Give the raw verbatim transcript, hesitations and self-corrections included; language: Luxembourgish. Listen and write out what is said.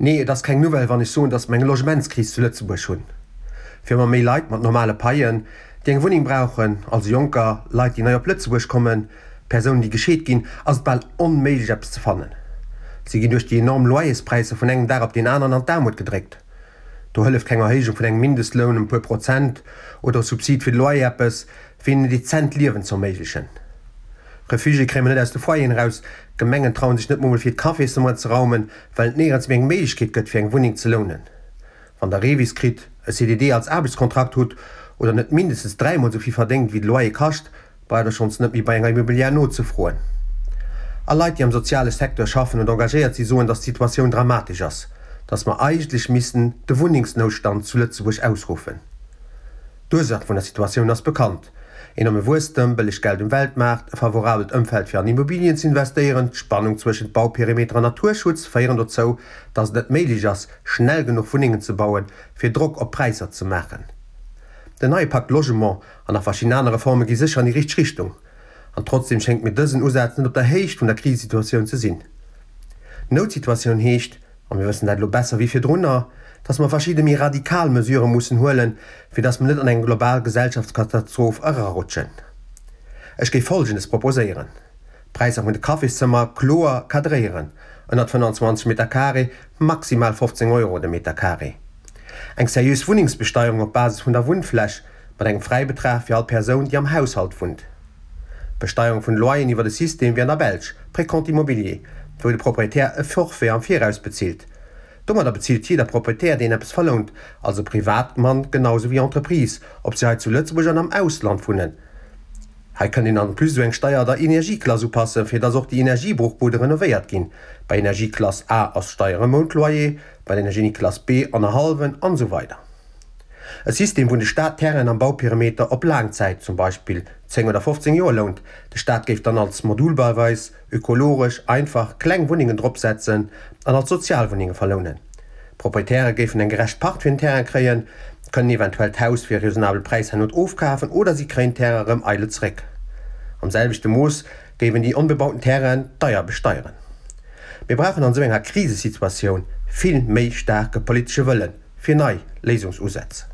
Nee, et ass keng Nouvelle, wann ech soen, datt mer eng Logementskris zu Lëtzebuerg hunn. Fir ëmmer méi Leit mat normale Paien, déi eng Wunneng brauchen, also Jonker, Leit, déi nei op Lëtzebuerg kommen, Persounen, déi gescheet ginn, ass et bal onméiglech, eppes ze fannen. Si ginn duerch déi enorm Loyerspräisser vun engem Dag op deen aneren an d'Aarmut gedréckt. Do hëlleft keng Erhéijung vun engem Mindestloun ëm e puer Prozent oder e Subsid fir de Loyer eppes, fir hinnen en dezent Liewen ze erméiglechen. Refugiéë kréie mer net aus de Foyeren eraus, d'Gemengen trauen sech net mol fir d'Cafésnummeren ze raumen, well et néierens méi eng Méiglechkeet gëtt fir eng Wunneng ze lounen. Wann der Revis kritt, e C D D als Aarbechtskontrakt hutt oder net mindestens dräimol esou vill verdéngt wéi de Loyer kascht, braucht der schonns net méi bei enger Immobilière nozefroen. A Leit déi am soziale Secteur schaffen oder engagéiert si soen, datt d'Situatioun dramatesch ass, datt mer eigentlech missten de Wunnengsnoutstand zu Lëtzebuerg ausruffen. D'Ursaach vun der Situatioun ass bekannt, enorme Wuesstem, bëlleg Geld um Weltmaart, e favorabelt Ëmfeld fir an Immobilien ze investéieren, d'Spannung zwëschent Bauperimeter an Naturschutz féieren dozou, datt et net méiglech ass, schnell genuch Wunnengen ze bauen, fir Drock op d'Präisser ze maachen. Den neie Pacte Logement an nach verschidden aner Reforme gi sécher an déi richteg Richtung. An trotzdeem schéngt mir dësen Usaz net op der Héicht vun der Krisesituatioun ze sinn. Noutsituatioun heescht, a mir wëssen dat elo besser wéi virdrunner, dass mer verschidde méi radikal Mesurë mussen huelen, fir dass mer net an eng global Gesellschaftskatastroph erarutschen. Ech géif Folgendes proposéieren, D'Präisser vun de Cafészëmmer kloer cadréieren, ënnert fënnanzwanzeg Meter carré maximal fofzéng Euro de Meter carré. Eng seriös Wunnengsbesteierung op Basis vun der Wunnfläch, mat engem Fräibetrag fir all Persoun, déi am Haushalt wunnt. D'Besteierung vun de Loyeren iwwer e System wéi an der Belsch, Précompte immobilier, wou de Proprietär e Forfait am Viraus bezilt. Domadder bezilt jidder Proprietär, deen eppes verlount, also Privatmann genau sou wéi Entreprise, ob se hei zu Lëtzebuerg an am Ausland wunnen. Hei kënnt een en plus esou eng Steier der Energieklass upassen, fir dass och déi Energiebruchbude renovéiert ginn. Bei Energieklass A ass d'Steier e Mountloyer, bei der Energieklass B annerhallwen an esou weider. E System, wou de Staat Terrainen am Bauperimeter op laang Zäit, zum Beispill zéng oder fofzéng Joer, lount. De Staat géif dann als modulbauweis, ökologesch, einfach, kleng Wunnengen dropsetzen an als Sozialwunnenge verlounen. D'Proprietäre géifen eng gerecht Part fir den Terrain kréien, kënnen eventuell d'Haus fir e raisonnabele Präis herno ofkafen oder si kréien d'Terrain erëm eidel zeréck. Am selwechte Mooss géif een déi onbebauten Terrainen deier besteieren. Mir brauchen an esou enger Krisesituatioun vill méi staarke politesche Wëllen fir nei Léisungsusätz.